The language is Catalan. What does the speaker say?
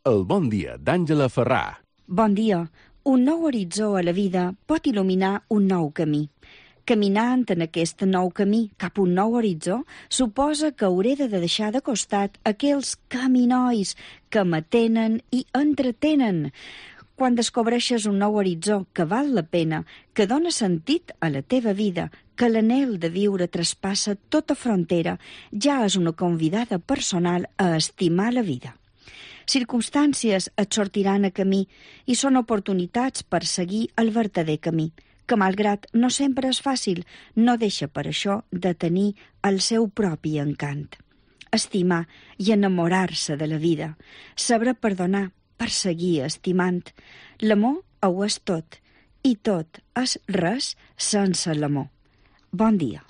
El bon dia d'Àngela Ferrà. Bon dia. Un nou horitzó a la vida pot il·luminar un nou camí. Caminant en aquest nou camí cap a un nou horitzó suposa que hauré de deixar de costat aquells caminois que m'atenen i entretenen. Quan descobreixes un nou horitzó que val la pena, que dona sentit a la teva vida, que l'anhel de viure traspassa tota frontera, ja és una convidada personal a estimar la vida. Circumstàncies et sortiran a camí i són oportunitats per seguir el vertader camí, que malgrat no sempre és fàcil, no deixa per això de tenir el seu propi encant. Estimar i enamorar-se de la vida, saber perdonar per seguir estimant. L'amor ho és tot, i tot és res sense l'amor. Bon dia.